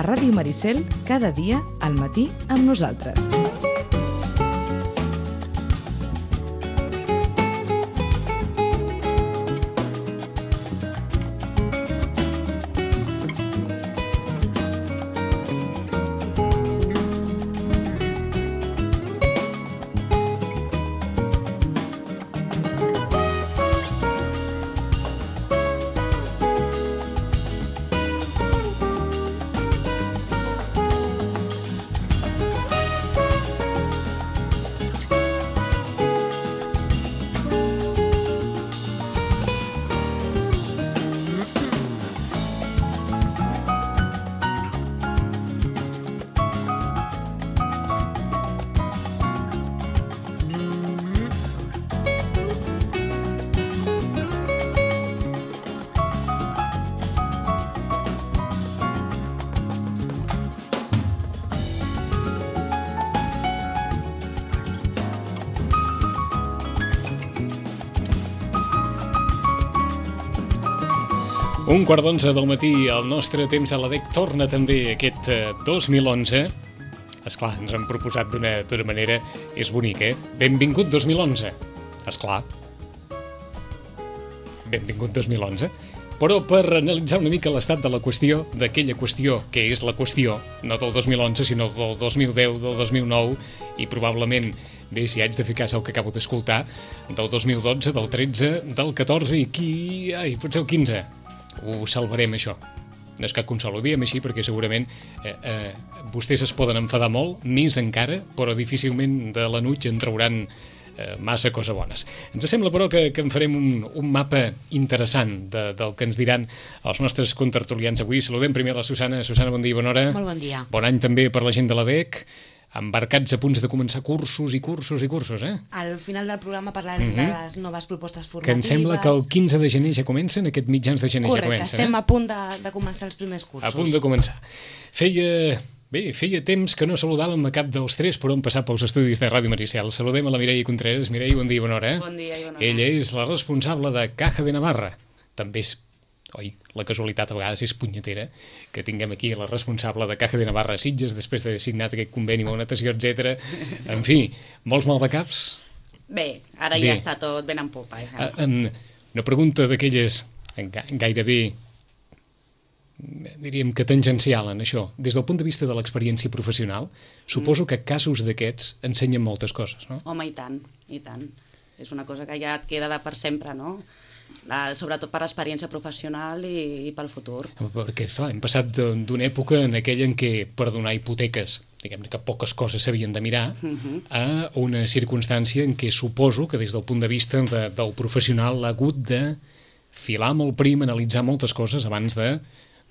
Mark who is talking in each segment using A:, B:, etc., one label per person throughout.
A: a Ràdio Maricel cada dia al matí amb nosaltres.
B: Un quart d'11 del matí, el nostre temps a l'ADEC torna també aquest 2011. Esclar, ens han proposat d'una manera... És bonic, Benvingut 2011. Esclar. Benvingut 2011. Però per analitzar una mica l'estat de la qüestió, d'aquella qüestió que és la qüestió, no del 2011, sinó del 2010, del 2009, i probablement, bé, si haig de fer cas al que acabo d'escoltar, del 2012, del 13, del 14 i potser el 15. Ho salvarem, això. No és cap consol, ho diem així perquè segurament vostès es poden enfadar molt, més encara, però difícilment de l'enuig en trauran massa coses bones. Ens sembla, però, que en farem un mapa interessant del que ens diran els nostres contertulians avui. Saludem primer a la Susana. Susana, bon dia i bona hora.
C: Molt bon dia.
B: Bon any també per la gent de l'ADEC. Embarcats a punts de començar cursos i cursos,
C: Al final del programa parlarem de les noves propostes formatives.
B: Que em sembla que el 15 de gener ja comencen, aquest mitjans de gener.
C: Correcte,
B: ja comencen.
C: estem a punt de començar els primers cursos.
B: A punt de començar. Feia temps que no saludàvem a cap dels tres per on passar pels estudis de Ràdio Maricel. Saludem a la Mireia Contreras. Mireia, bon dia i bona hora.
D: Bon dia i bona hora.
B: Ella és la responsable de Caja de Navarra. També és, la casualitat a vegades és punyetera, que tinguem aquí la responsable de Caja de Navarra a Sitges, després d'haver signat aquest conveni amb una natació, etc. En fi, molts maldecaps?
D: Bé, ara ja està tot ben en popa.
B: Una pregunta d'aquelles gairebé, diríem que tangencial en això. Des del punt de vista de l'experiència professional, suposo que casos d'aquests ensenyen moltes coses, no?
D: Home, i tant, i tant. És una cosa que ja et queda per sempre, no? Sobretot per l'experiència professional i pel futur.
B: Perquè, esclar, hem passat d'una època en aquella en què per donar hipoteques, diguem-ne que poques coses s'havien de mirar, a una circumstància en què suposo que des del punt de vista del professional ha hagut de filar molt prim, analitzar moltes coses abans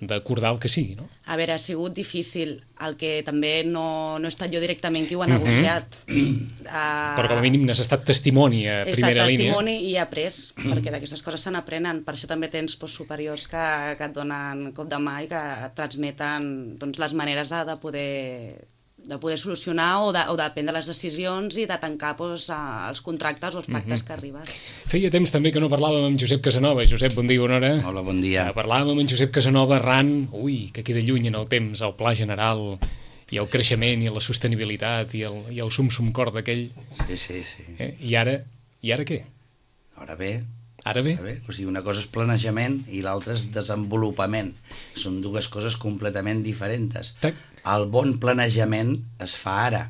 B: d'acordar el que sigui, no?
D: A veure, ha sigut difícil. El que també no he estat jo directament qui ho ha negociat.
B: Però com a mínim n'has estat testimoni a primera línia.
D: He estat testimoni i he après, perquè d'aquestes coses se n'aprenen. Per això també tens superiors que et donen cop de mà i que et transmeten les maneres de poder solucionar o de prendre les decisions i de tancar els contractes o els pactes que arribes.
B: Feia temps també que no parlàvem amb Josep Casanova. Josep, bon dia i bona hora.
E: Hola, bon dia.
B: Parlàvem amb en Josep Casanova arran, que queda lluny en el temps, el pla general i el creixement i la sostenibilitat i el sum cor d'aquell.
E: Sí.
B: I ara què?
E: Ara bé. O sigui, una cosa és planejament i l'altra és desenvolupament. Són dues coses completament diferents. El bon planejament es fa ara,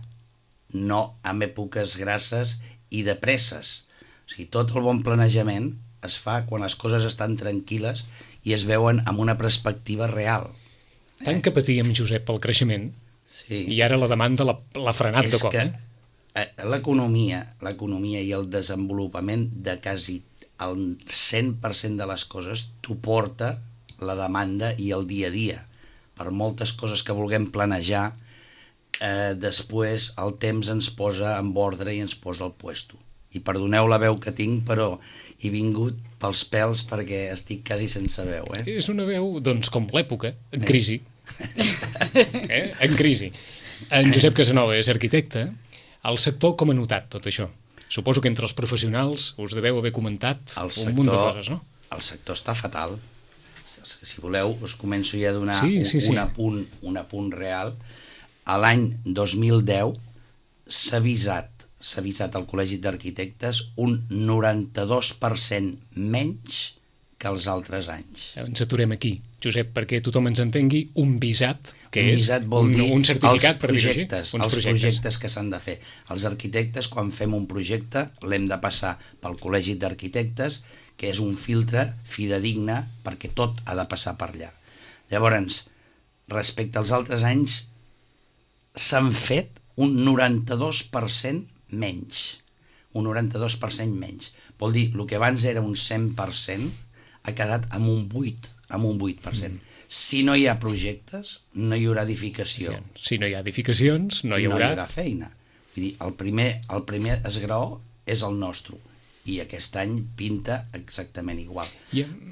E: no en èpoques grasses i de presses. O sigui, tot el bon planejament es fa quan les coses estan tranquil·les i es veuen amb una perspectiva real.
B: Tant que patíem, Josep, pel creixement, i ara la demanda l'ha frenat de cop.
E: L'economia i el desenvolupament de quasi el 100% de les coses t'ho porta la demanda i el dia a dia. Per moltes coses que vulguem planejar, després el temps ens posa en ordre i ens posa al puesto. I perdoneu la veu que tinc, però he vingut pels pèls perquè estic quasi sense veu.
B: És una veu, doncs, com l'època, en crisi. En crisi. En Josep Casanova és arquitecte. El sector com ha notat tot això? Suposo que entre els professionals us deveu haver comentat un munt de coses, no?
E: El sector està fatal. si voleu, us començo ja a donar un apunt real. A l'any 2010 s'ha avisat al Col·legi d'Arquitectes un 92% menys que els altres anys.
B: Ens aturem aquí, Josep, perquè tothom ens entengui, un visat, que
E: un
B: és
E: visat vol dir
B: un certificat, per dir-ho així.
E: Els projectes que s'han de fer. Els arquitectes, quan fem un projecte, l'hem de passar pel Col·legi d'Arquitectes, que és un filtre fidedigne perquè tot ha de passar per allà. Llavors, respecte als altres anys, s'han fet un 92% menys. Un 92% menys. Vol dir, el que abans era un 100%, ha quedat amb un 8%. Si no hi ha projectes, no hi haurà edificació.
B: Si no hi ha edificacions, no hi haurà
E: feina. Vull dir, el primer esgraó és el nostre, i aquest any pinta exactament igual.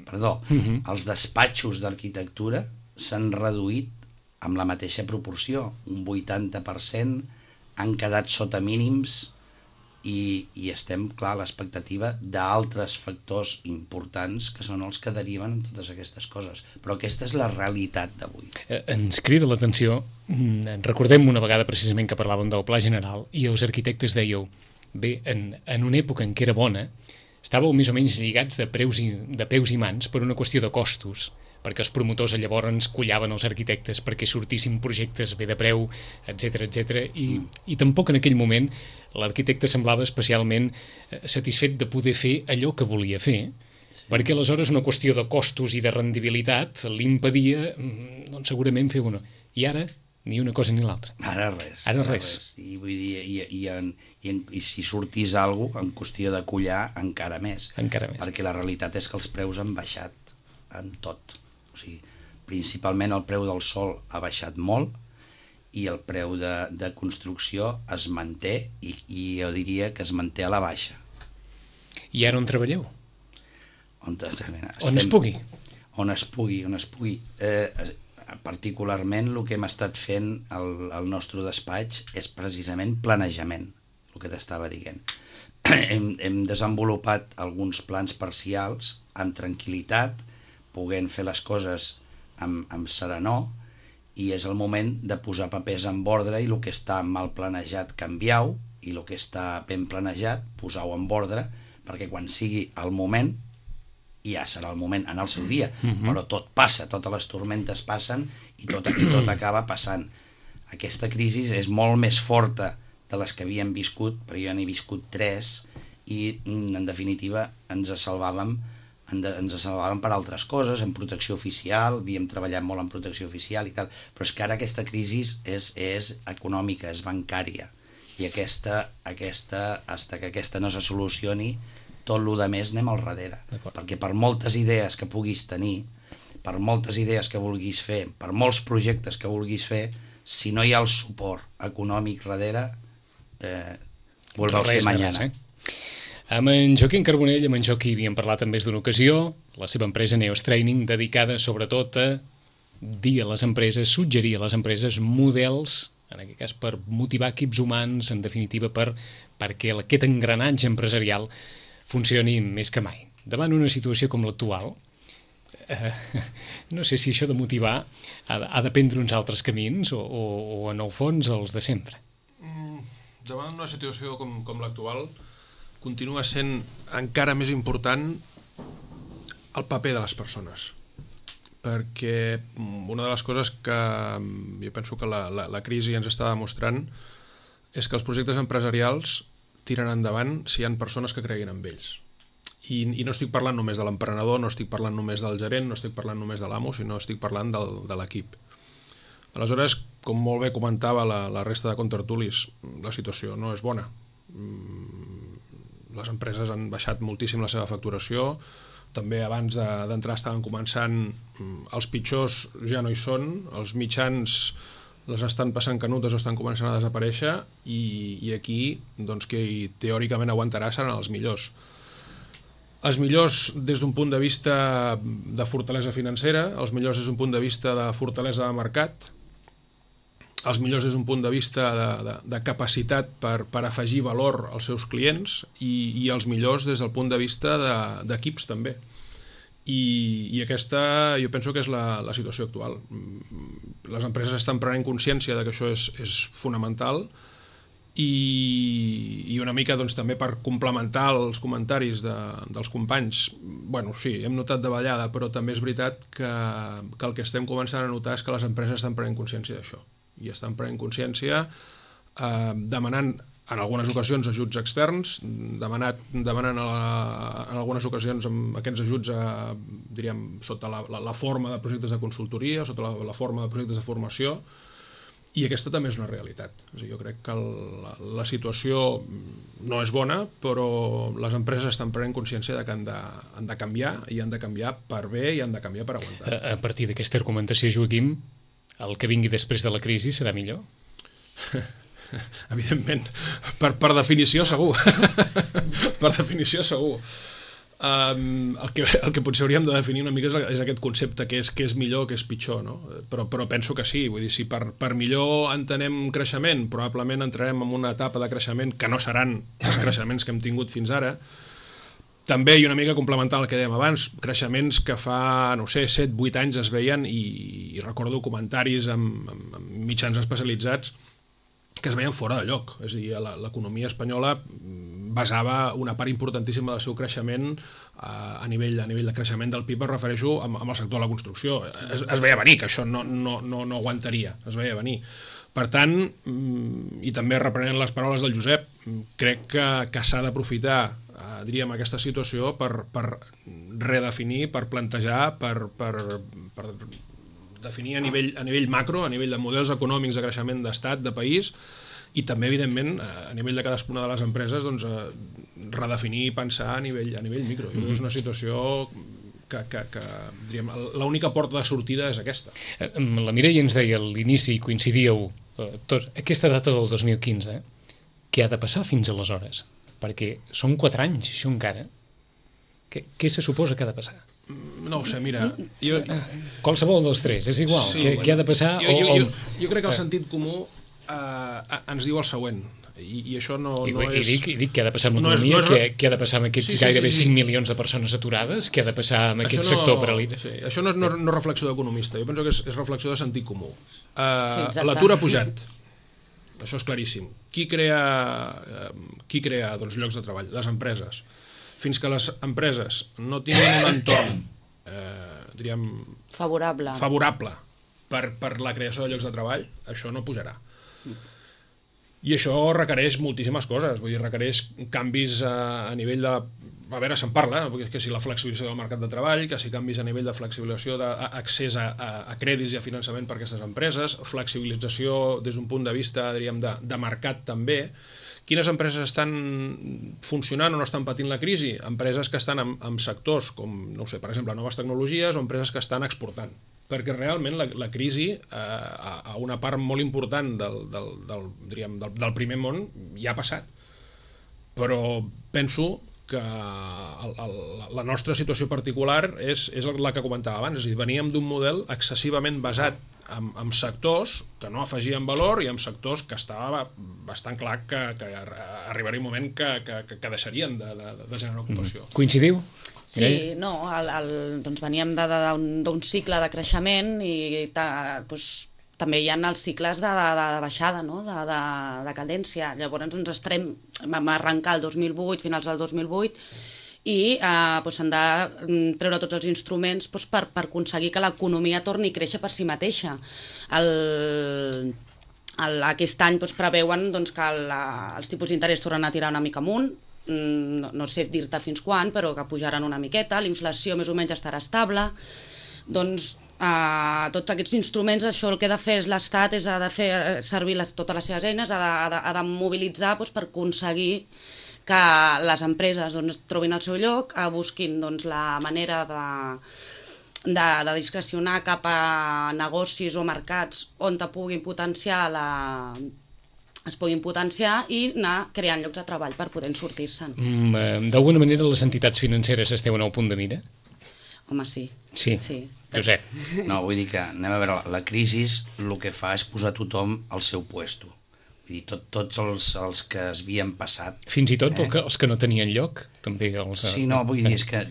E: Perdó, els despatxos d'arquitectura s'han reduït amb la mateixa proporció, un 80%, han quedat sota mínims, i estem, clar, a l'expectativa d'altres factors importants que són els que deriven en totes aquestes coses. Però aquesta és la realitat d'avui.
B: Ens crida l'atenció, recordem una vegada precisament que parlàvem del Pla General i els arquitectes dèieu, bé, en una època en què era bona, estàveu més o menys lligats de peus i mans per una qüestió de costos, perquè els promotors llavors collaven els arquitectes perquè sortissin projectes bé de preu, etc. I tampoc en aquell moment l'arquitecte semblava especialment satisfet de poder fer allò que volia fer, perquè aleshores una qüestió de costos i de rendibilitat l'impedia, doncs segurament fer una. I ara, ni una cosa ni l'altra.
E: Ara res. I vull dir, i si sortís alguna cosa, en qüestió de collar, encara més. Perquè la realitat és que els preus han baixat en tot. O sigui, principalment el preu del sòl ha baixat molt i el preu de construcció es manté, i jo diria que es manté a la baixa.
B: I ara on treballeu?
E: On
B: es pugui.
E: On es pugui. Particularment el que hem estat fent al nostre despatx és precisament planejament, el que t'estava dient. Hem desenvolupat alguns plans parcials amb tranquil·litat, podent fer les coses amb serenor, i és el moment de posar papers en ordre, i el que està mal planejat canviar-ho, i el que està ben planejat posar-ho en ordre, perquè quan sigui el moment, ja serà el moment en el seu dia, però tot passa, totes les tormentes passen i tot acaba passant. Aquesta crisi és molt més forta de les que havíem viscut, però jo n'he viscut 3, i en definitiva ens salvàvem per altres coses, en protecció oficial, havíem treballat molt en protecció oficial i tal, però és que ara aquesta crisi és econòmica, és bancària, i aquesta, hasta que aquesta no se solucioni, tot el més anem al darrere. Perquè per moltes idees que puguis tenir, per moltes idees que vulguis fer, per molts projectes que vulguis fer, si no hi ha el suport econòmic darrere, veuràs que mañana.
B: Amb en Joaquim Carbonell, amb en Joaquim havíem parlat en més d'una ocasió, la seva empresa Neos Training, dedicada sobretot a dir a les empreses, suggerir a les empreses models, en aquest cas per motivar equips humans, en definitiva perquè aquest engranatge empresarial funcioni més que mai. Davant una situació com l'actual, no sé si això de motivar ha de prendre uns altres camins o en el fons els de sempre.
F: Davant una situació com l'actual, continua sent encara més important el paper de les persones, perquè una de les coses que jo penso que la crisi ens està demostrant és que els projectes empresarials tiren endavant si hi ha persones que creguin en ells. I no estic parlant només de l'emprenedor, no estic parlant només del gerent, no estic parlant només de l'amo, sinó estic parlant de l'equip. Aleshores, com molt bé comentava la resta de contertulis, la situació no és bona. Les empreses han baixat moltíssim la seva facturació, també abans d'entrar estaven començant, els pitjors ja no hi són, els mitjans les estan passant canutes o estan començant a desaparèixer, i aquí doncs, qui teòricament aguantarà seran els millors. Els millors des d'un punt de vista de fortalesa financera, els millors des d'un punt de vista de fortalesa de mercat, els millors des d'un punt de vista de capacitat per afegir valor als seus clients, i els millors des del punt de vista d'equips també. I aquesta jo penso que és la situació actual. Les empreses estan prenent consciència de que això és fonamental i una mica doncs, també per complementar els comentaris dels companys, bueno, sí, hem notat davallada, però també és veritat que el que estem començant a notar és que les empreses estan prenent consciència d'això i estan prenent consciència demanant en algunes ocasions ajuts externs, demanant en algunes ocasions amb aquests ajuts diríem, sota la forma de projectes de consultoria, sota la forma de projectes de formació, i aquesta també és una realitat. Jo crec que la situació no és bona, però les empreses estan prenent consciència de que han de canviar, i han de canviar per bé i han de canviar per aguantar.
B: A partir d'aquesta argumentació, Joaquim, el que vingui després de la crisi serà millor?
F: Evidentment, per definició segur. Per definició segur. El que potser hauríem de definir una mica és aquest concepte, que és millor, que és pitjor, no? Però penso que sí, vull dir, si per millor entenem creixement, probablement entrarem en una etapa de creixement que no seran els creixements que hem tingut fins ara. També, i una mica complementant el que dèiem abans, creixements que fa, no sé, 7-8 anys es veien, i recordo comentaris amb mitjans especialitzats que es veien fora de lloc. És a dir, l'economia espanyola basava una part importantíssima del seu creixement a nivell de creixement del PIB, es refereixo amb el sector de la construcció. Es veia venir, que això no aguantaria, es veia venir. Per tant, i també reprenent les paraules del Josep, crec que s'ha d'aprofitar, diríem, aquesta situació per redefinir, per plantejar, per definir a nivell macro, a nivell de models econòmics de creixement d'estat, de país, i també, evidentment, a nivell de cadascuna de les empreses, doncs, redefinir i pensar a nivell micro. És una situació que diríem, l'única porta de sortida és aquesta.
B: La Mireia ens deia a l'inici, coincidíeu, aquesta data del 2015, què ha de passar fins aleshores? Perquè són 4 anys, això encara. Què se suposa que ha de passar?
F: No ho sé, mira...
B: Qualsevol dels tres, és igual. Sí, què ha de passar?
F: Jo crec que el sentit comú ens diu el següent, i això no és...
B: I dic què ha de passar amb l'economia, què ha de passar amb aquests gairebé 5 milions de persones aturades, què ha de passar amb aquest sector paralitzat.
F: Això no és reflexió d'economista, jo penso que és reflexió de sentit comú. L'atur ha pujat, això és claríssim. Qui crea llocs de treball? Les empreses. Fins que les empreses no tinguin un entorn diríem favorable per la creació de llocs de treball, això no pujarà. I això requereix moltíssimes coses, vull dir, requereix canvis a nivell de... A veure, se'n parla, que si la flexibilització del mercat de treball, que si canvis a nivell de flexibilització d'accés a crèdits i a finançament per a aquestes empreses, flexibilització des d'un punt de vista, diríem, de mercat també. Quines empreses estan funcionant o no estan patint la crisi? Empreses que estan en sectors com, no sé, per exemple, noves tecnologies, o empreses que estan exportant. Perquè realment la crisi a una part molt important del primer món ja ha passat. Però penso que la nostra situació particular és la que comentava abans, és a dir, veníem d'un model excessivament basat en sectors que no afegien valor i en sectors que estava bastant clar que arribaria un moment que deixarien de generar ocupació.
B: Coincidiu?
C: Sí, no, doncs veníem d'un cicle de creixement i també hi ha els cicles de baixada, no? de cadència. Llavors vam arrencar el 2008, finals del 2008, i s'han de treure tots els instruments per aconseguir que l'economia torni a créixer per si mateixa. Aquest any preveuen que els tipus d'interès tornen a tirar una mica amunt, no sé dir-te fins quan, però que pujaran una miqueta, la inflació més o menys estarà estable. Doncs tots aquests instruments, això el que ha de fer l'Estat és ha de fer servir totes les seves eines, ha de mobilitzar per aconseguir que les empreses trobin el seu lloc, busquin la manera de discrecionar cap a negocis o mercats on es puguin potenciar i anar creant llocs de treball per poder sortir-se'n.
B: D'alguna manera les entitats financeres esteu en el punt de mira?
C: Home, sí.
B: Sí. Josep.
E: No, vull dir que, anem a veure, la crisi el que fa és posar tothom al seu puesto. Vull dir, tots els que es havien passat.
B: Fins i tot els que no tenien lloc, també els...
E: Sí, no, vull dir, és que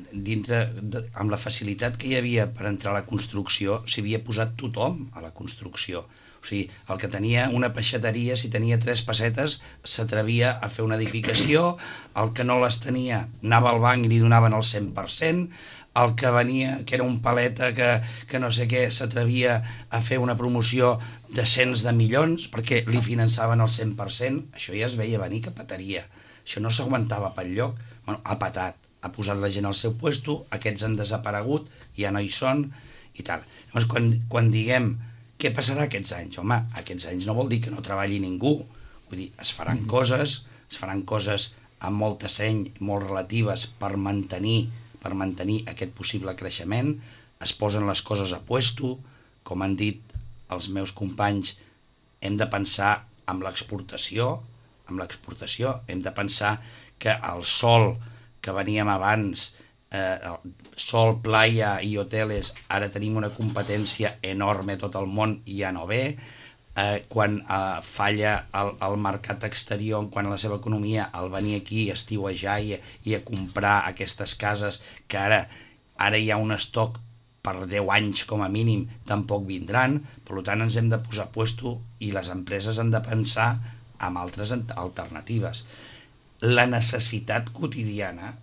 E: dintre, amb la facilitat que hi havia per entrar a la construcció, s'hi havia posat tothom a la construcció. O sigui, el que tenia una peixateria, si tenia 3 pessetes, s'atrevia a fer una edificació, el que no les tenia anava al banc i li donaven el 100%, el que venia, que era un paleta que no sé què, s'atrevia a fer una promoció de cents de milions perquè li finançaven el 100%, això ja es veia venir que petaria. Això no s'aguantava pel lloc. Bueno, ha patat, ha posat la gent al seu puesto, aquests han desaparegut, ja no hi són, i tal. Llavors, quan diguem què passarà aquests anys? Home, aquests anys no vol dir que no treballi ningú. Vull dir, es faran coses amb molta seny, molt relatives per mantenir aquest possible creixement, es posen les coses a puesto, com han dit els meus companys, hem de pensar en l'exportació, hem de pensar que el sol que veníem abans, sol, playa i hoteles, ara tenim una competència enorme a tot el món i ja no ve. Quan falla el mercat exterior quan la seva economia, al venir aquí a estiuejar i a comprar aquestes cases que ara hi ha un estoc per 10 anys com a mínim, tampoc vindran. Per tant, ens hem de posar a puesto i les empreses han de pensar en altres alternatives. La necessitat quotidiana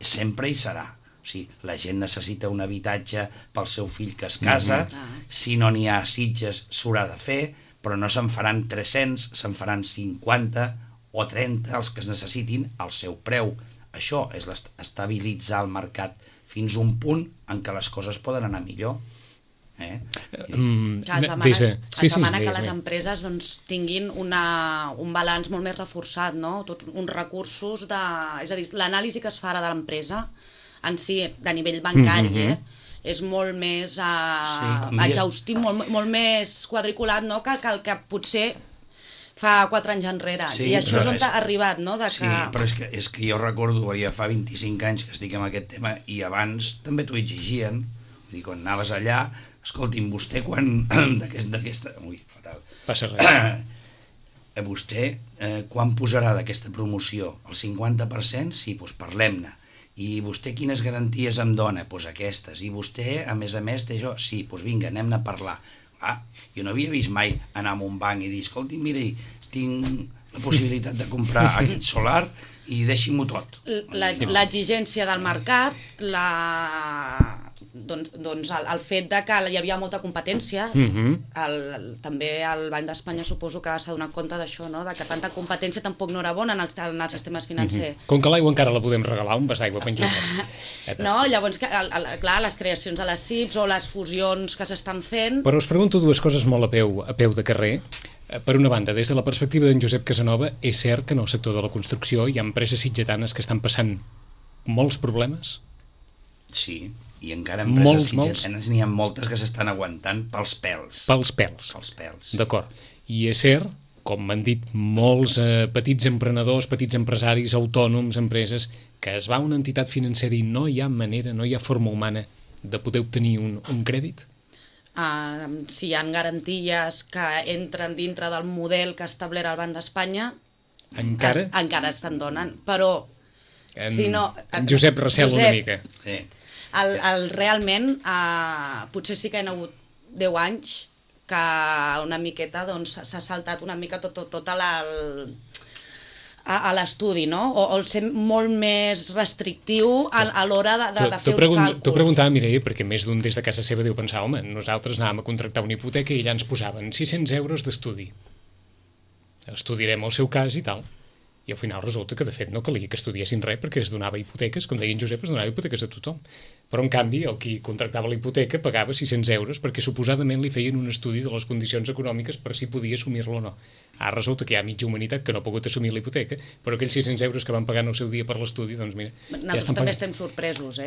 E: sempre hi serà. O sigui, la gent necessita un habitatge pel seu fill que es casa, si no n'hi ha a Sitges s'haurà de fer, però no se'n faran 300, se'n faran 50 o 30 els que es necessitin al seu preu. Això és estabilitzar el mercat fins a un punt en què les coses poden anar millor.
C: Es demana que les empreses tinguin un balanç molt més reforçat, uns recursos, és a dir, l'anàlisi que es fa ara de l'empresa en si, de nivell bancari, és molt més exhaustiu, molt més quadriculat que el que potser fa 4 anys enrere. I això és on ha arribat, no?
E: Sí, però és que jo recordo, ja fa 25 anys que estic en aquest tema, i abans també t'ho exigien. Vull dir, quan anaves allà, escolti'm, vostè quan d'aquesta... Ui, fatal.
B: Passa res.
E: Vostè quan posarà d'aquesta promoció? El 50%? Sí, doncs parlem-ne. I vostè quines garanties em dona? Doncs aquestes. I vostè, a més, té això? Sí, doncs vinga, anem-ne a parlar. Jo no havia vist mai anar a un banc i dir, escolti, mira, tinc la possibilitat de comprar aquest solar i deixi-m'ho tot.
C: L'exigència del mercat, doncs el fet de que hi havia molta competència, també el Banc d'Espanya suposo que s'ha donat compte d'això, de que tanta competència tampoc no era bona en els sistemes financers.
B: Com que l'aigua encara la podem regalar, un vas d'aigua penjat.
C: No, llavors, clar, les creacions a les CIPs o les fusions que s'estan fent...
B: Però us pregunto dues coses molt a peu de carrer. Per una banda, des de la perspectiva d'en Josep Casanova, és cert que en el sector de la construcció hi ha empreses sitgetanes que estan passant molts problemes?
E: Sí, i encara empreses sitgetanes n'hi ha moltes que s'estan aguantant pels pèls.
B: Pels pèls. D'acord. I és cert, com m'han dit molts petits emprenedors, petits empresaris, autònoms, empreses, que es va a una entitat financera i no hi ha manera, no hi ha forma humana de poder obtenir un crèdit?
C: Si hi ha garanties que entren dintre del model que ha establert el Banc d'Espanya, encara se'n donen, però si no...
B: Josep recel una mica.
E: Sí.
C: Realment, potser sí que hi ha hagut 10 anys que una miqueta s'ha saltat una mica tot a l'estudi, no? O el ser molt més restrictiu a l'hora de fer uns càlculs.
B: T'ho preguntava, Mireia, perquè més d'un des de casa seva deu pensar, home, nosaltres anàvem a contractar una hipoteca i allà ens posaven 600 euros d'estudi. Estudiarem el seu cas i tal. I al final resulta que, de fet, no calia que estudiessin res perquè es donava hipoteques, com deia en Josep, es donava hipoteques a tothom. Però, en canvi, el qui contractava la hipoteca pagava 600 euros perquè suposadament li feien un estudi de les condicions econòmiques per si podia assumir-lo o no. Ara resulta que hi ha mitja humanitat que no ha pogut assumir la hipoteca, però aquells 600 euros que van pagar en el seu dia per l'estudi, doncs mira...
C: Nosaltres també estem sorpresos,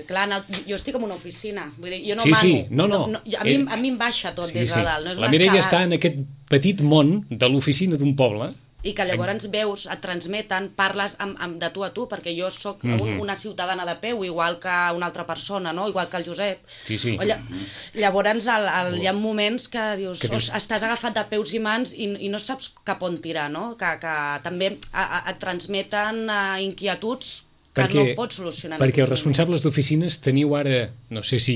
C: Clar, jo estic en una oficina, vull dir, jo no mano. A mi em baixa tot des de dalt.
B: La Mireia està en aquest petit món de l'oficina d'un poble
C: i que llavors veus, et transmeten, parles de tu a tu, perquè jo sóc una ciutadana de peu, igual que una altra persona, no? Igual que el Josep.
B: Sí, sí.
C: Llavors hi ha moments que dius, estàs agafat de peus i mans i no saps cap on tirar, no? Que també et transmeten inquietuds que no pots solucionar.
B: Perquè els responsables d'oficines teniu ara, no sé si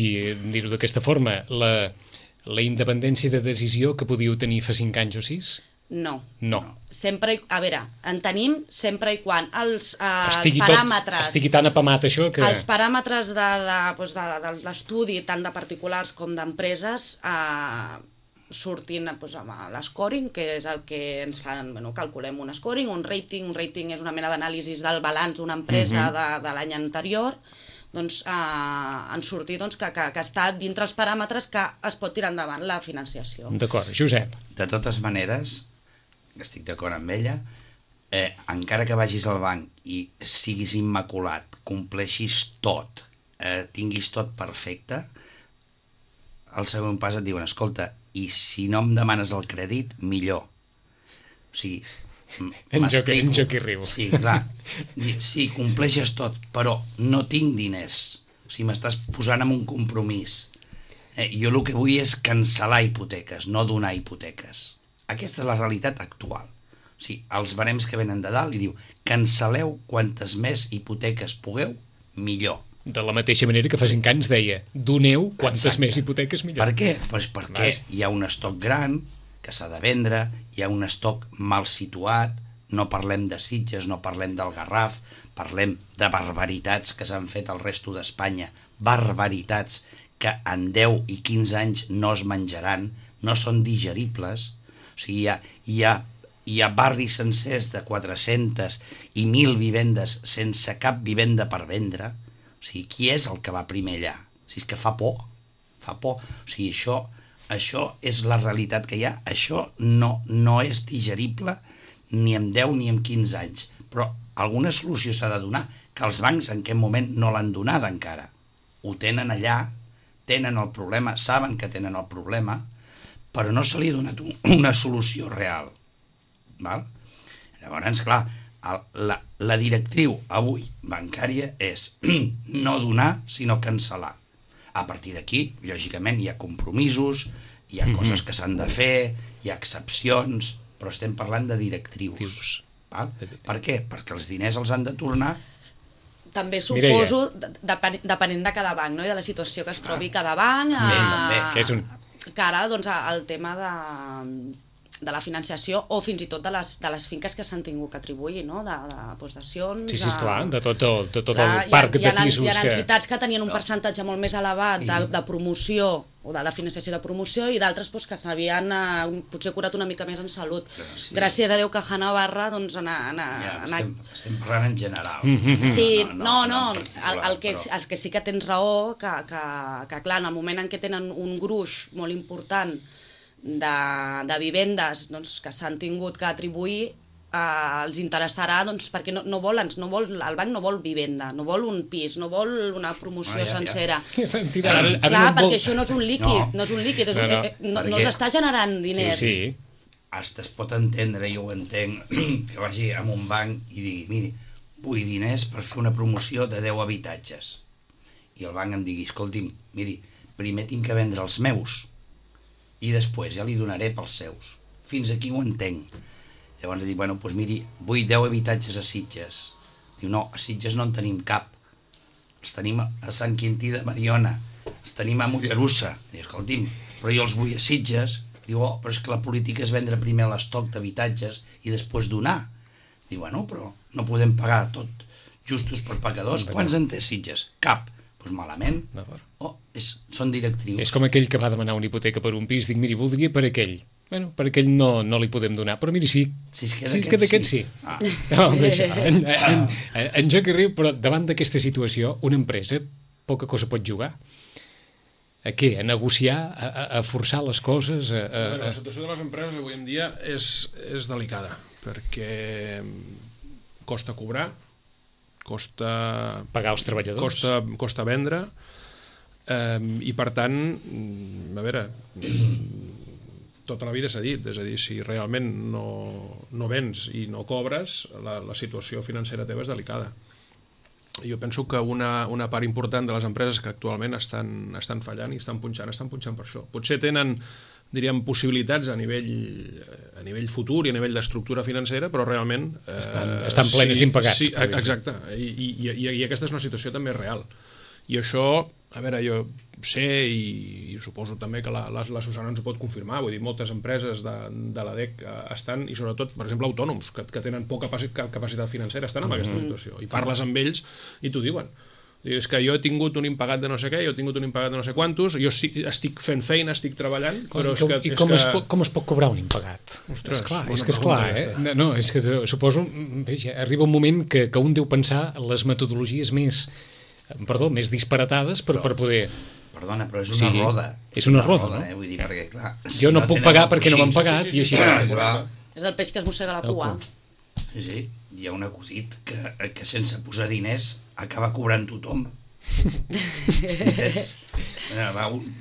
B: dir-ho d'aquesta forma, la independència de decisió que podíeu tenir fa 5 anys o 6?
C: No.
D: Sempre, a veure, en tenim sempre i quan els paràmetres...
B: Estigui tan apamat això que...
D: Els paràmetres de l'estudi, tant de particulars com d'empreses, sortin amb l'escoring, que és el que ens fan, calculem un scoring, un rating és una mena d'anàlisi del balanç d'una empresa de l'any anterior, doncs en sortir que està dintre els paràmetres que es pot tirar endavant la financiació.
B: D'acord. Josep.
E: De totes maneres, estic d'acord amb ella, encara que vagis al banc i siguis immaculat, compleixis tot, tinguis tot perfecte, al següent pas et diuen, escolta, i si no em demanes el crèdit, millor. O sigui,
B: en Joc i riu.
E: Sí, clar. Sí, compleixes tot, però no tinc diners. O sigui, m'estàs posant en un compromís. Jo el que vull és cancel·lar hipoteques, no donar hipoteques. Aquesta és la realitat actual. O sigui, els barems que venen de dalt i diu, cancel·leu quantes més hipoteques pugueu, millor.
B: De la mateixa manera que fa 5 anys deia, doneu quantes més hipoteques millor.
E: Per què? Pues perquè hi ha un estoc gran que s'ha de vendre, hi ha un estoc mal situat, no parlem de Sitges, no parlem del Garraf, parlem de barbaritats que s'han fet al resto d'Espanya, barbaritats que en 10 i 15 anys no es menjaran, no són digeribles. O sigui, hi ha barris sencers de 400 i 1.000 vivendes sense cap vivenda per vendre. O sigui, qui és el que va primer allà? O sigui, és que fa por. O sigui, això és la realitat que hi ha. Això no és digerible ni en 10 ni en 15 anys. Però alguna solució s'ha de donar, que els bancs en aquest moment no l'han donada encara. Ho tenen allà, tenen el problema, saben que tenen el problema, però no se li ha donat una solució real. Val? Llavors, clar, la directriu avui bancària és no donar, sinó cancel·lar. A partir d'aquí, lògicament, hi ha compromisos, hi ha coses que s'han de fer, hi ha excepcions, però estem parlant de directrius. Val? Per què? Perquè els diners els han de tornar.
D: També suposo, depenent de cada banc, no? I de la situació que es trobi cada banc, que ara el tema de la financiació o fins i tot de les finques que s'han tingut que atribuir, no? De possessions...
B: Sí, esclar, de tot el parc de pisos que...
D: Hi ha entitats que tenien un percentatge molt més elevat de promoció o de financiació de promoció i d'altres que s'havien potser curat una mica més en salut. Gràcies a Déu que a Navarra
E: estem parlant en general.
D: Sí, el que sí que tens raó, que clar, en el moment en què tenen un gruix molt important de vivendes que s'han tingut que atribuir, els interessarà perquè el banc no vol vivenda, no vol un pis, no vol una promoció sencera. Clar, perquè això no és un líquid, no els està generant diners.
B: Sí.
E: Hasta es pot entendre, jo ho entenc, que vagi a un banc i digui, miri, vull diners per fer una promoció de 10 habitatges. I el banc em digui, escolti'm, miri, primer tinc que vendre els meus i després ja li donaré pels seus. Fins aquí ho entenc. Llavors dic, bueno, doncs miri, vull 10 habitatges a Sitges. Diu, no, a Sitges no en tenim cap. Els tenim a Sant Quintí de Mediona, els tenim a Mollerussa. Diu, escolti'm, però jo els vull a Sitges. Diu, però és que la política és vendre primer l'estoc d'habitatges i després donar. Diu, bueno, però no podem pagar tot justos per pecadors. Quants en té Sitges? Cap. Doncs malament. Són directrius.
B: És com aquell que va demanar una hipoteca per un pis, dic, miri, voldria per aquell. Bueno, per aquell no li podem donar, però miri, si es queda aquest, sí. En Joc i riu, però davant d'aquesta situació, una empresa poca cosa pot jugar. A què? A negociar? A forçar les coses?
F: La situació de les empreses avui en dia és delicada, perquè costa cobrar, costa
B: pagar els treballadors,
F: costa vendre, i per tant, a veure, tota la vida s'ha dit, és a dir, si realment no vens i no cobres, la situació financera teva és delicada. Jo penso que una part important de les empreses que actualment estan fallant i estan punxant per això. Potser tenen, diríem, possibilitats a nivell futur i a nivell d'estructura financera, però realment...
B: Estan plenes d'impagats.
F: Sí, exacte, i aquesta és una situació també real. I això, a veure, jo sé i suposo també que la Susana ens ho pot confirmar, vull dir, moltes empreses de l'ADEC estan, i sobretot, per exemple, autònoms, que tenen poca capacitat financera, estan en aquesta situació. I parles amb ells i t'ho diuen. És que jo he tingut un impagat de no sé què, jo he tingut un impagat de no sé quantos, jo estic fent feina, estic treballant, però
B: com es pot cobrar un impagat?
F: Ostres,
B: és que és clar, No, és que suposo, arriba un moment que un deu pensar les metodologies més disparatades per poder...
E: Perdona, però és una roda.
B: És una roda, no?
E: Vull dir, perquè, clar...
B: Jo no puc pagar perquè no m'han pagat i així...
C: És el peix que es mossega la cua.
E: Sí, hi ha un acudit que sense posar diners acaba cobrant tothom.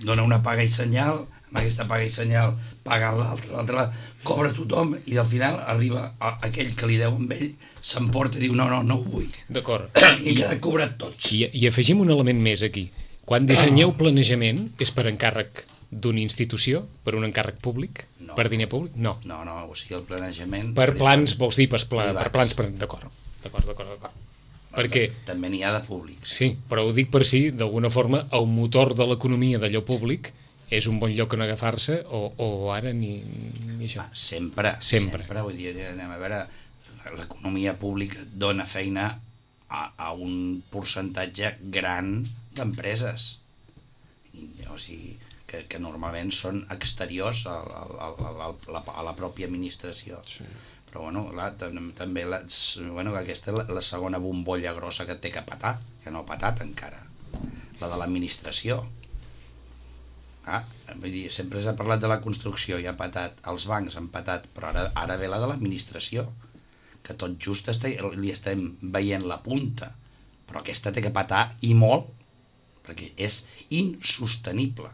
E: Dona una paga i senyal, amb aquesta paga i senyal paga l'altre, cobra tothom i al final arriba aquell que li deu amb ell, s'emporta i diu no ho vull.
B: D'acord.
E: I queda cobrat tots.
B: I afegim un element més aquí. Quan dissenyeu planejament, és per encàrrec d'una institució, per un encàrrec públic, per diner públic? No.
E: No, o sigui, el planejament...
B: Per plans, vols dir, per plans... D'acord. Perquè...
E: També n'hi ha de públics.
B: Sí, però ho dic per si, d'alguna forma, el motor de l'economia d'allò públic és un bon lloc on agafar-se o ara ni això.
E: Sempre. Vull dir, anem a veure, l'economia pública dona feina a un percentatge gran d'empreses. O sigui, que normalment són exteriors a la pròpia administració. Sí. Però també aquesta és la segona bombolla grossa que té que petar, que no ha petat encara, la de l'administració. Vull dir, sempre s'ha parlat de la construcció i ha petat, els bancs han petat, però ara ve la de l'administració, que tot just li estem veient la punta, però aquesta té que petar i molt, perquè és insostenible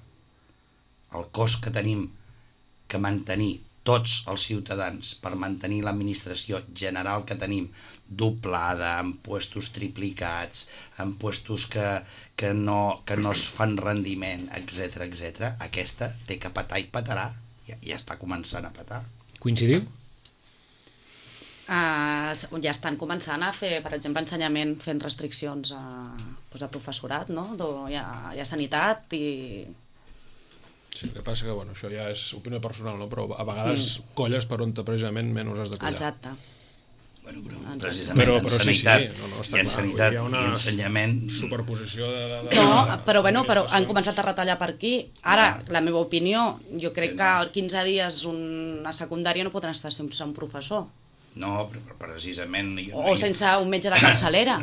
E: el cost que tenim que mantenir tots els ciutadans per mantenir l'administració general que tenim doblada, amb puestos triplicats, amb puestos que no es fan rendiment, etc. Aquesta té que petar i petarà, ja està començant a petar.
B: Coincidiu?
C: Ja estan començant a fer, per exemple, ensenyament fent restriccions a professorat, no? Hi ha sanitat i...
F: Sí, el que passa que, això ja és opinió personal, no? Però a vegades colles per on precisament menys has de collar.
C: Exacte.
E: Precisament en sanitat i en sanitat i ensenyament...
F: Superposició de...
C: No, però han començat a retallar per aquí. Ara, la meva opinió, jo crec que 15 dies una secundària no podran estar sense un professor.
E: No, però precisament...
C: O sense un metge de capçalera.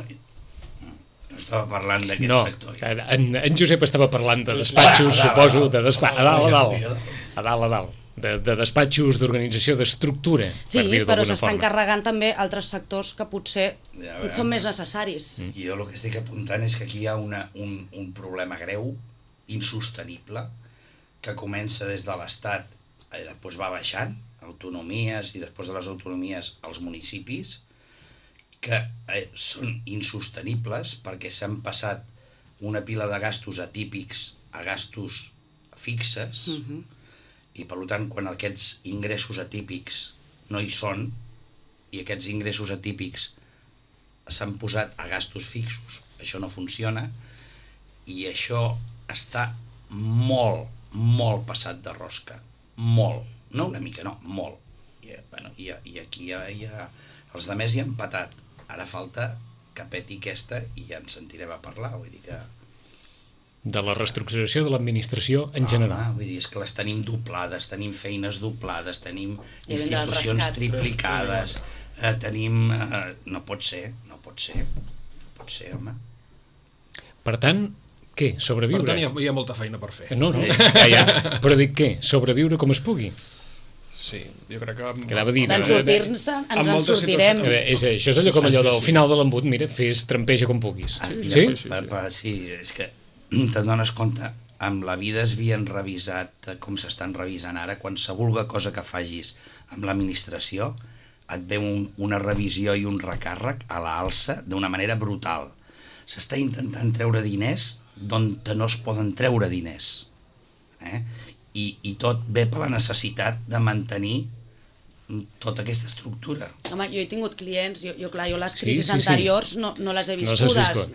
E: No estava parlant d'aquest sector.
B: No, en Josep estava parlant de despatxos, suposo, a dalt, de despatxos, d'organització, d'estructura.
C: Sí, però s'estan carregant també altres sectors que potser són més necessaris.
E: Jo el que estic apuntant és que aquí hi ha un problema greu, insostenible, que comença des de l'Estat i després va baixant, autonomies i després de les autonomies als municipis, que són insostenibles perquè s'han passat una pila de gastos atípics a gastos fixes i per tant quan aquests ingressos atípics no hi són i aquests ingressos atípics s'han posat a gastos fixos, això no funciona i això està molt passat de rosca, molt, no una mica, no, molt. I aquí els altres hi han patat. Ara falta que peti aquesta i ja ens sentirem a parlar, vull dir que...
B: De la reestructuració de l'administració en general.
E: Vull dir, és que les tenim doblades, tenim feines doblades, tenim institucions triplicades, tenim... No pot ser, home.
B: Per tant, què? Sobreviure?
F: Per tant, hi ha molta feina per fer.
B: No, però dic què? Sobreviure com es pugui?
F: Sí, jo crec que...
C: Ens en sortirem.
B: Això és allò com allò del final de l'embut, mira, fes trampeja com puguis.
E: Sí, és que te'n dones compte, amb la vida es havien revisat, com s'estan revisant ara, qualsevol cosa que facis amb l'administració, et ve una revisió i un recàrrec a l'alça d'una manera brutal. S'està intentant treure diners d'on no es poden treure diners. I tot ve per la necessitat de mantenir tota aquesta estructura.
C: Home, jo he tingut clients, jo les crisis anteriors no les he viscudes,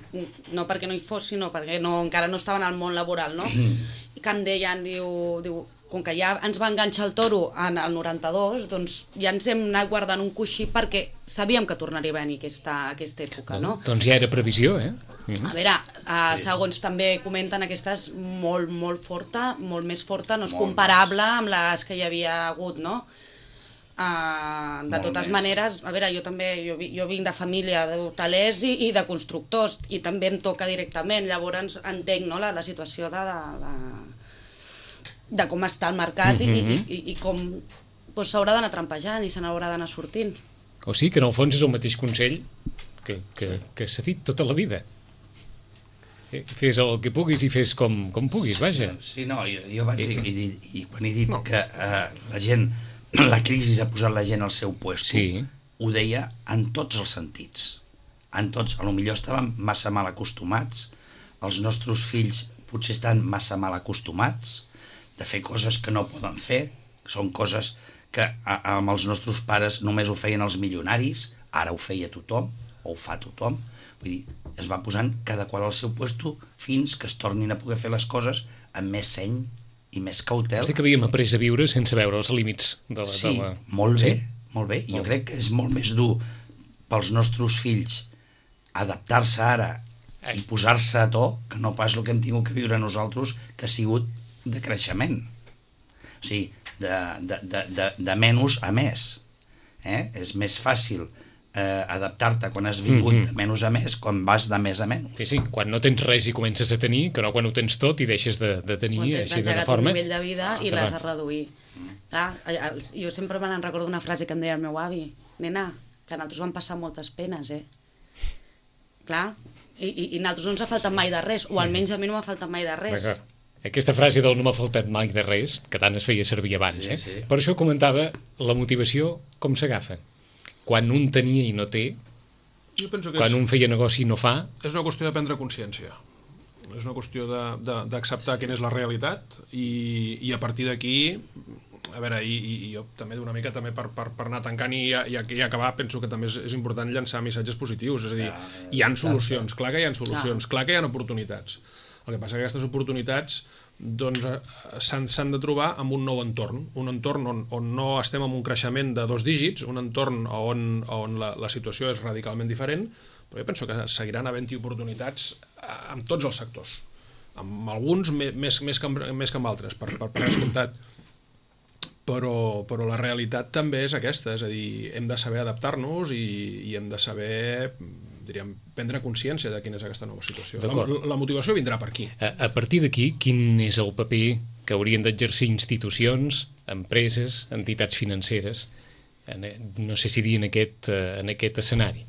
C: no perquè no hi fos, sinó perquè encara no estaven al món laboral, no? I que em deien, diu, com que ja ens va enganxar el toro al 92, doncs ja ens hem anat guardant un coixí perquè sabíem que tornaria a venir aquesta època, no?
B: Doncs ja era previsió,
C: A veure, segons també comenten, aquesta és molt, molt forta, molt més forta, no és comparable amb les que hi havia hagut, no? De totes maneres, a veure, jo vinc de família d'hotelers i de constructors i també em toca directament, llavors entenc la situació de com està el mercat i com s'haurà d'anar trampejant i se n'haurà d'anar sortint.
B: O sigui que en el fons és el mateix consell que s'ha dit tota la vida. Fes el que puguis i fes com puguis, vaja.
E: Sí, no, jo vaig dir, i quan he dit que la gent, la crisi ha posat la gent al seu puesto, ho deia en tots els sentits. En tots, potser estàvem massa mal acostumats, els nostres fills potser estan massa mal acostumats de fer coses que no poden fer, són coses que amb els nostres pares només ho feien els milionaris, ara ho feia tothom, o ho fa tothom, vull dir, es va posant cada qual al seu puesto fins que es tornin a poder fer les coses amb més seny i més cautela.
B: És que havíem après a viure sense veure els límits de la...
E: Sí, molt bé, molt bé. Jo crec que és molt més dur pels nostres fills adaptar-se ara i posar-se a to que no pas el que hem tingut que viure nosaltres, que ha sigut de creixement. O sigui, de menys a més. És més fàcil adaptar-te quan has vingut de menys a més, quan vas de més a menys.
B: Sí, quan no tens res i comences a tenir, que no quan ho tens tot i deixes de tenir així d'una forma.
C: Quan tens engegat un nivell de vida i l'has de reduir. Jo sempre me'n recordo una frase que em deia el meu avi: nena, que nosaltres vam passar moltes penes, Clar, i nosaltres no ens ha faltat mai de res, o almenys a mi no m'ha faltat mai de res.
B: Aquesta frase del no m'ha faltat mai de res, que tant es feia servir abans, Per això comentava la motivació com s'agafa. Quan un tenia i no té, quan un feia negoci i no fa...
F: És una qüestió de prendre consciència. És una qüestió d'acceptar quina és la realitat i a partir d'aquí, a veure, i jo també d'una mica també per anar tancant i acabar, penso que també és important llançar missatges positius, és a dir, hi ha solucions, clar que hi ha solucions, clar que hi ha oportunitats. El que passa que aquestes oportunitats s'han de trobar en un nou entorn, un entorn on no estem en un creixement de 2 dígits, un entorn on la situació és radicalment diferent, però jo penso que seguiran havent-hi oportunitats en tots els sectors, amb alguns més que amb altres, per descomptat. Però la realitat també és aquesta, és a dir, hem de saber adaptar-nos i hem de saber, diríem, prendre consciència de quina és aquesta nova situació. La motivació vindrà per aquí.
B: A partir d'aquí, quin és el paper que haurien d'exercir institucions, empreses, entitats financeres, no sé si dir en aquest escenari?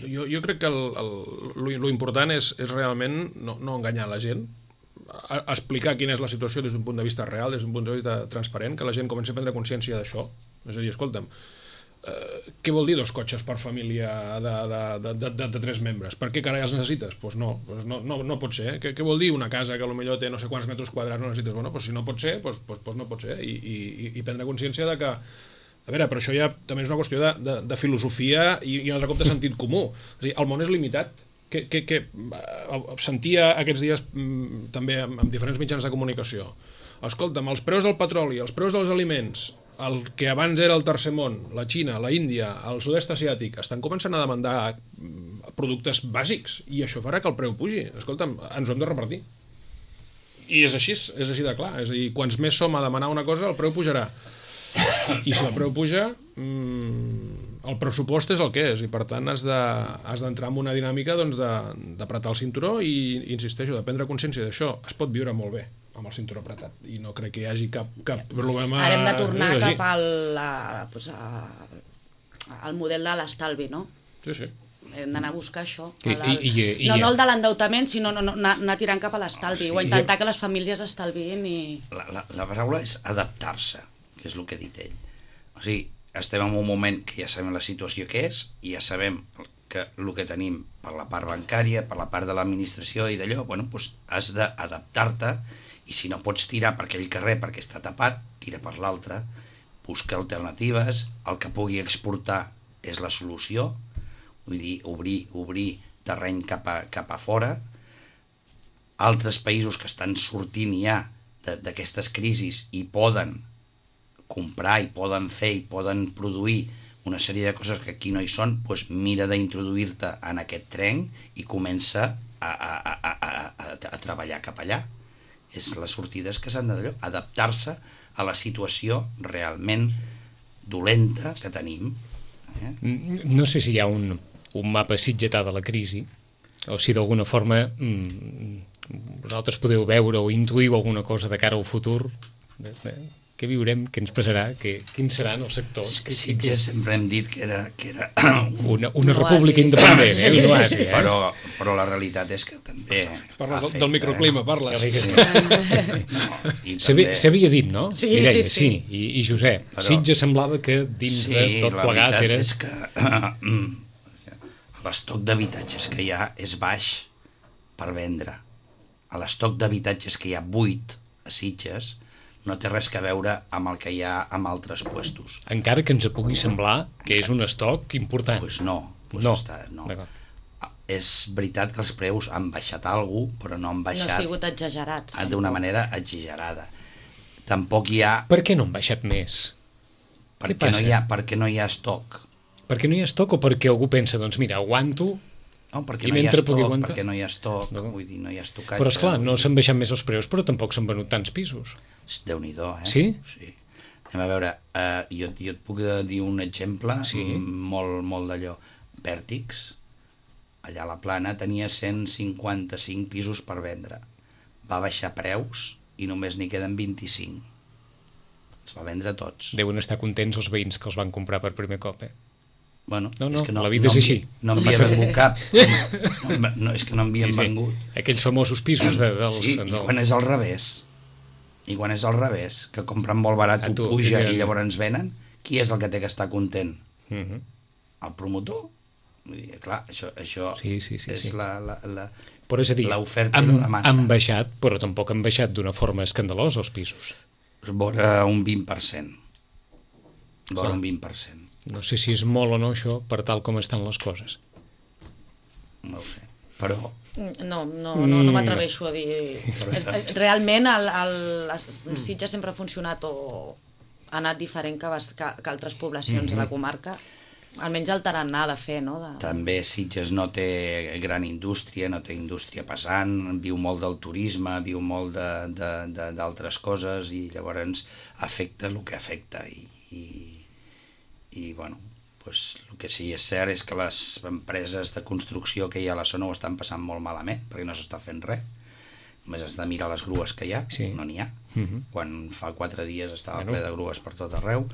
F: Jo crec que lo important és realment no enganyar la gent, explicar quina és la situació des d'un punt de vista real, des d'un punt de vista transparent, que la gent comenci a prendre consciència d'això. És a dir, escolta'm, què vol dir 2 cotxes per família de 3 membres? Per què carai els necessites? Doncs no pot ser. Què vol dir una casa que potser té no sé quants metres quadrats no necessites? Bueno, si no pot ser, doncs no pot ser. I prendre consciència de que, a veure, però això ja també és una qüestió de filosofia i un altre cop de sentit comú. És a dir, el món és limitat. Que sentia aquests dies també amb diferents mitjans de comunicació. Escolta'm, els preus del petroli, els preus dels aliments, el que abans era el tercer món, la Xina, la Índia, el sud-est asiàtic, estan començant a demandar productes bàsics i això farà que el preu pugi. Escolta'm, ens ho hem de repartir. I és així de clar. És a dir, quants més som a demanar una cosa, el preu pujarà. I si el preu puja, el pressupost és el que és i per tant has d'entrar en una dinàmica d'apretar el cinturó i, insisteixo, de prendre consciència d'això. Es pot viure molt bé amb el cinturó apretat i no crec que hi hagi cap problema.
C: Ara hem de tornar cap al model de l'estalvi, no?
F: Sí.
C: hem d'anar a buscar això.
B: No
C: el de l'endeutament, sinó anar tirant cap a l'estalvi, o intentar que les famílies estalviïn i...
E: La paraula és adaptar-se, que és el que ha dit ell. O sigui, estem en un moment que ja sabem la situació que és, i ja sabem que el que tenim per la part bancària, per la part de l'administració i d'allò, bueno, doncs has d'adaptar-te, i si no pots tirar per aquell carrer perquè està tapat, tira per l'altre, busca alternatives, el que pugui exportar és la solució, vull dir, obrir terreny cap a fora. Altres països que estan sortint ja d'aquestes crisis i poden comprar, i poden fer, i poden produir una sèrie de coses que aquí no hi són, doncs mira d'introduir-te en aquest tren i comença a treballar cap allà. És les sortides que s'han d'adaptar-se a la situació realment dolenta que tenim.
B: No sé si hi ha un mapa sitgetà de la crisi, o si d'alguna forma vosaltres podeu veure o intuïu alguna cosa de cara al futur. Què viurem, què ens passarà, quins seran els sectors?
E: Sitges sempre hem dit que era
B: una república independent, un oasi.
E: Però la realitat és que també...
F: Parles del microclima, parles.
B: S'havia dit, no?
C: Sí.
B: I Josep, Sitges semblava que dins de tot plegat era...
E: Sí, la veritat és que l'estoc d'habitatges que hi ha és baix per vendre. L'estoc d'habitatges que hi ha buit a Sitges no té res a veure amb el que hi ha en altres puestos.
B: Encara que ens pugui semblar que és un estoc important.
E: Doncs no. És veritat que els preus han baixat alguna cosa, però no han baixat...
C: No ha sigut exagerats.
E: D'una manera exagerada. Tampoc hi ha...
B: Per què no han baixat més?
E: Perquè no hi ha estoc.
B: Perquè no hi ha estoc o perquè algú pensa, doncs mira, aguanto...
E: No, perquè no hi ha estoc, vull dir, no hi ha estocatge.
B: Però esclar, no s'han baixat més els preus, però tampoc s'han venut tants pisos.
E: Déu-n'hi-do,
B: Sí?
E: Sí. Anem a veure, jo et puc dir un exemple molt d'allò. Vèrtix, allà a la Plana, tenia 155 pisos per vendre. Va baixar preus i només n'hi queden 25. Els va vendre tots.
B: Deuen estar contents els veïns que els van comprar per primer cop,
E: Bueno,
B: és que la vida és així.
E: No havia vengut cap. És que no havien vengut.
B: Aquells famosos pisos dels...
E: Sí, i quan és al revés, que compren molt barat, ho puja i llavors venen, qui és el que té que estar content? El promotor? Vull dir, clar, això és
B: Però és a dir,
E: l'oferta i la demanda.
B: Han baixat, però tampoc han baixat d'una forma escandalosa els pisos.
E: Vora un 20%. Vora un 20%.
B: No sé si és molt o no això per tal com estan les coses.
E: No ho sé, però...
C: No m'atreveixo a dir... Realment Sitges sempre ha funcionat o ha anat diferent que altres poblacions de la comarca, almenys el tarannà de fer, no?
E: També Sitges no té gran indústria, no té indústria pesant, viu molt del turisme, viu molt d'altres coses i llavors afecta el que afecta i bueno, doncs el que sí és cert és que les empreses de construcció que hi ha a la zona ho estan passant molt malament perquè no s'està fent res, només has de mirar les grues que hi ha, no n'hi ha. Quan fa 4 dies estava ple de grues per tot arreu,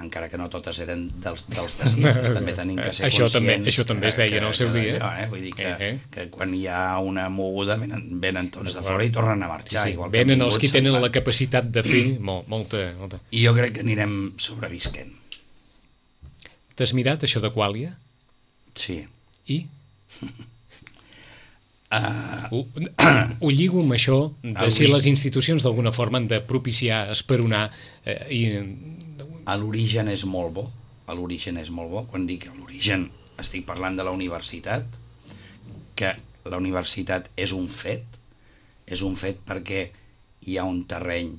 E: encara que no totes eren dels de Sitges, també tenim que ser conscients.
B: Això també es deia en el seu dia.
E: Vull dir que quan hi ha una moguda venen tots de fora i tornen a marxar.
B: Venen els que tenen la capacitat de fer molta.
E: I jo crec que anirem sobrevisquent.
B: T'has mirat això de Quàlia?
E: Sí.
B: I? Ho lligo amb això de si les institucions d'alguna forma han de propiciar, esperonar
E: l'origen és molt bo. Quan dic l'origen estic parlant de la universitat, que la universitat és un fet perquè hi ha un terreny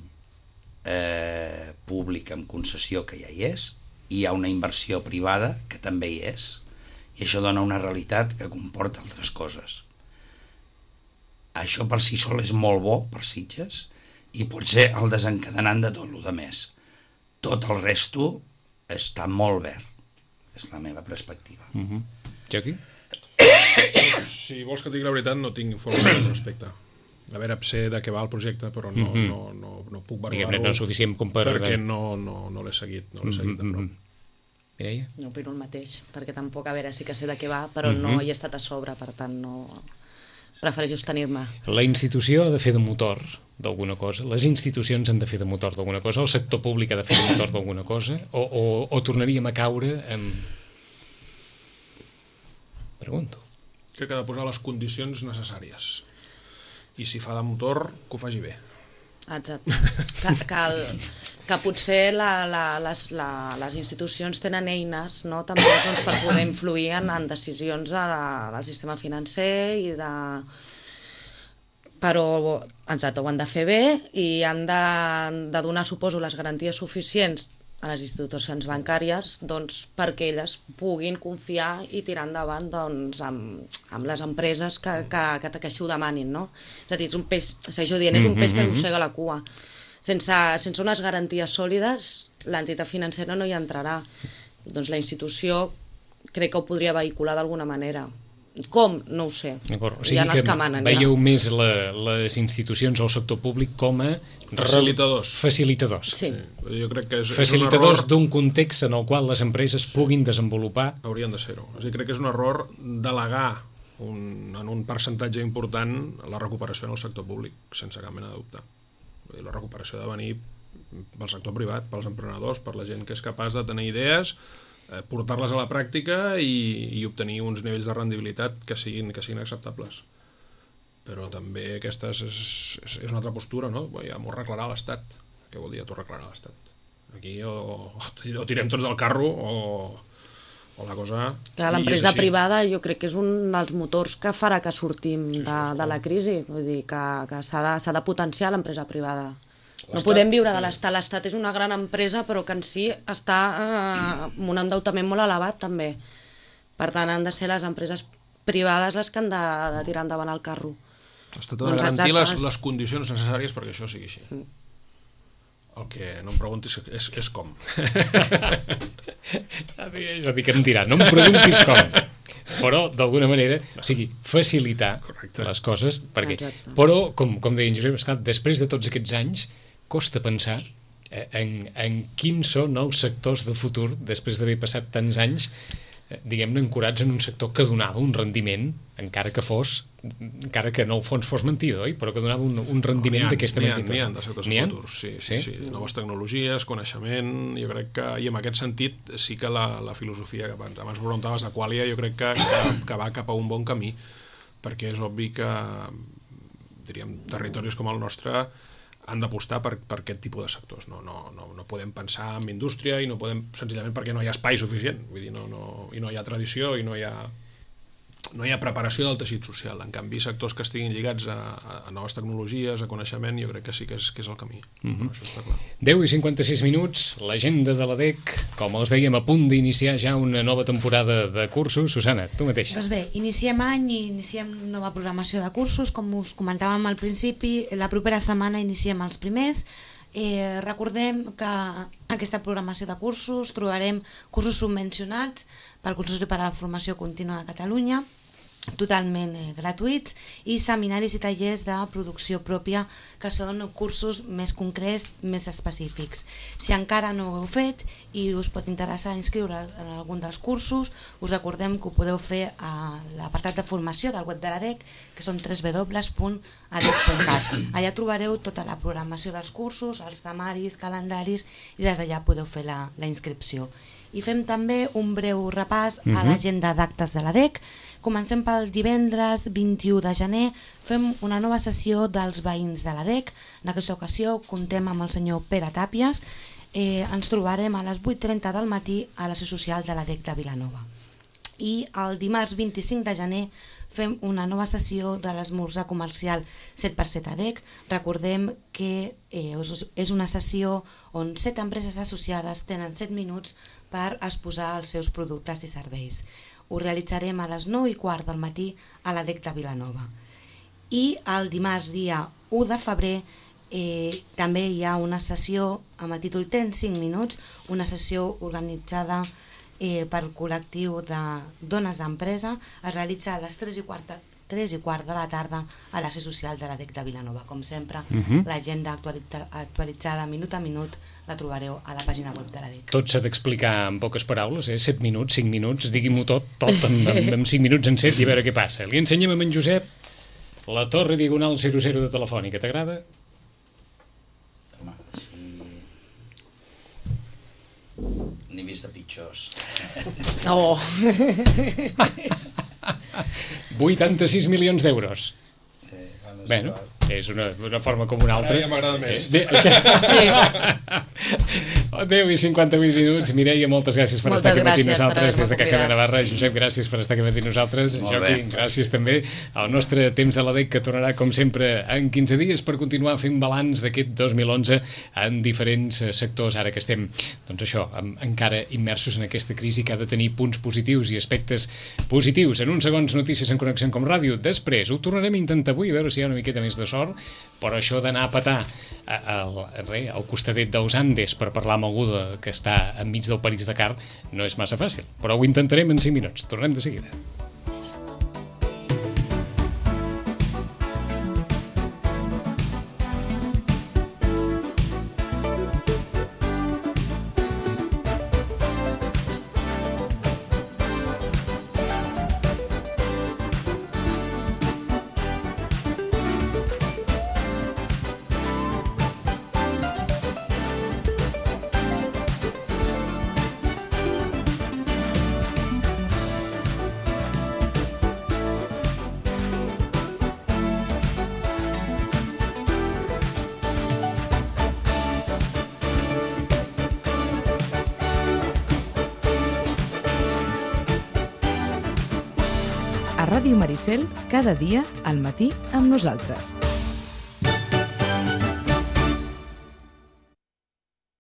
E: públic amb concessió que ja hi és, hi ha una inversió privada que també hi és, i això dona una realitat que comporta altres coses. Això per si sol és molt bo per Sitges i pot ser el desencadenant de tot el més. Tot el resto està molt verd, és la meva perspectiva.
B: Jacqui?
F: Si vols que et digui la veritat, no tinc informació al respecte. A veure, sé de què va el projecte, però no puc valorar-ho.
B: No és suficient com per...
F: Perquè no l'he seguit, de prop.
B: Mireia?
C: No opino el mateix, perquè tampoc, a veure, sí que sé de què va, però no hi he estat a sobre, per tant no... Prefereixo abstenir-me.
B: La institució ha de fer de motor d'alguna cosa, les institucions han de fer de motor d'alguna cosa, o el sector públic ha de fer de motor d'alguna cosa, o tornaríem a caure amb... Pregunto.
F: Crec que ha de posar les condicions necessàries. I si fa de motor, que ho faci bé.
C: Exacte. Que potser les institucions tenen eines, no? També doncs, per poder influir en decisions del sistema financer i de... Però exacte, ho han de fer bé i han de donar, suposo, les garanties suficients a les institucions bancàries doncs, perquè elles puguin confiar i tirar endavant doncs, amb les empreses que així ho demanin, no? És a dir, és un peix, segueixo dient, és un peix que mossega la cua. Sense unes garanties sòlides, l'entitat financera no hi entrarà. Doncs la institució crec que ho podria vehicular d'alguna manera. Com? No ho sé.
B: O sigui que veieu més les institucions o el sector públic com a facilitadors.
C: Sí.
F: Jo crec que és
B: facilitadors d'un context en el qual les empreses puguin desenvolupar.
F: Haurien de ser-ho. O sigui, crec que és un error delegar en un percentatge important la recuperació en el sector públic, sense cap mena de dubte. La recuperació ha de venir pel sector privat, pels emprenedors, per la gent que és capaç de tenir idees, portar-les a la pràctica i obtenir uns nivells de rendibilitat que siguin acceptables. Però també aquesta és una altra postura, no? Ja m'ho arreglarà l'Estat. Què vol dir t'ho arreglarà l'Estat? Aquí o tirem tots del carro o la cosa...
C: L'empresa privada jo crec que és un dels motors que farà que sortim de la crisi. Vull dir que s'ha de potenciar l'empresa privada. No podem viure de l'Estat. L'Estat és una gran empresa, però que en si està amb un endeutament molt elevat, també. Per tant, han de ser les empreses privades les que han de tirar endavant el carro.
F: L'Estat ha de garantir les condicions necessàries perquè això sigui així. El que no em preguntis és com.
B: És a dir, que em dirà, no em preguntis com. Però, d'alguna manera, o sigui, facilitar les coses, perquè... Però, com deia en Josep, esclar, després de tots aquests anys, costa pensar en quins són els sectors de futur, després d'haver passat tants anys, diguem-ne, ancorats en un sector que donava un rendiment, encara que en el fons fos mentida, oi? Però que donava un rendiment d'aquesta magnitud.
F: N'hi ha de sectors futurs, sí. Noves tecnologies, coneixement, jo crec que, i en aquest sentit, sí que la filosofia que abans preguntaves de Qualia, jo crec que va cap a un bon camí, perquè és obvi que, diríem, territoris com el nostre han d'apostar per aquest tipus de sectors. No podem pensar en indústria i no podem, senzillament perquè no hi ha espai suficient, vull dir, i no hi ha tradició i no hi ha preparació del teixit social. En canvi, sectors que estiguin lligats a noves tecnologies, a coneixement, jo crec que sí que és el camí. Això està clar.
B: 10:56 minuts, l'agenda de l'ADEC, com els dèiem, a punt d'iniciar ja una nova temporada de cursos. Susana, tu mateixa.
G: Doncs bé, iniciem any i iniciem nova programació de cursos, com us comentàvem al principi, la propera setmana iniciem els primers. Recordem que aquesta programació de cursos trobarem cursos subvencionats pel Consorci per a la Formació Contínua de Catalunya, totalment gratuïts, i seminaris i tallers de producció pròpia, que són cursos més concrets, més específics. Si encara no ho heu fet i us pot interessar inscriure en algun dels cursos, us recordem que ho podeu fer a l'apartat de formació del web de l'ADEC, que són www.adec.cat. Allà trobareu tota la programació dels cursos, els temaris, calendaris, i des d'allà podeu fer la inscripció. I fem també un breu repàs a l'agenda d'actes de l'ADEC. Comencem pel divendres 21 de gener, fem una nova sessió dels veïns de l'ADEC. En aquesta ocasió comptem amb el senyor Pere Tàpies. Ens trobarem a les 8:30 del matí a la seu social de l'ADEC de Vilanova. I el dimarts 25 de gener fem una nova sessió de l'esmorzar comercial 7x7 ADEC. Recordem que és una sessió on 7 empreses associades tenen 7 minuts per exposar els seus productes i serveis. Ho realitzarem a les 9:15 del matí a l'ADEC de Vilanova. I el dimarts dia 1 de febrer també hi ha una sessió amb el títol Tens 5 minuts, una sessió organitzada pel col·lectiu de dones d'empresa. Es realitza a les 3:15 3:15 de la tarda a l'ASE social de l'ADEC de Vilanova. Com sempre, l'agenda actualitzada minut a minut la trobareu a la pàgina web de l'ADEC.
B: Tot s'ha d'explicar en poques paraules, 7 minuts, 5 minuts, diguim-ho tot en 5 minuts en 7 i a veure què passa. Li ensenyem a en Josep la torre diagonal 00 de Telefònica. T'agrada?
E: Home, sí. N'he vist de pitjors.
C: Oh!
B: 86 milions d'euros. Bueno, és una forma com una altra.
F: Ara ja m'agrada més.
B: 10 i 58 minuts. Mireia, moltes gràcies per estar aquí amb nosaltres des de Caca de Navarra. Josep, gràcies per estar aquí amb nosaltres. Joaquim, gràcies també. El nostre temps de l'ADEC, que tornarà com sempre en 15 dies per continuar fent balanç d'aquest 2011 en diferents sectors, ara que estem, doncs això, encara immersos en aquesta crisi que ha de tenir punts positius i aspectes positius. En uns segons, notícies en Connexió com Ràdio. Després ho tornarem a intentar avui, a veure si hi ha una miqueta més de sort, però això d'anar a petar al costadet dels Andes per parlar amb algú que està enmig del París-Dakar no és massa fàcil, però ho intentarem en 5 minuts. Tornem de seguida.
A: A Ràdio Maricel, cada dia al matí amb nosaltres.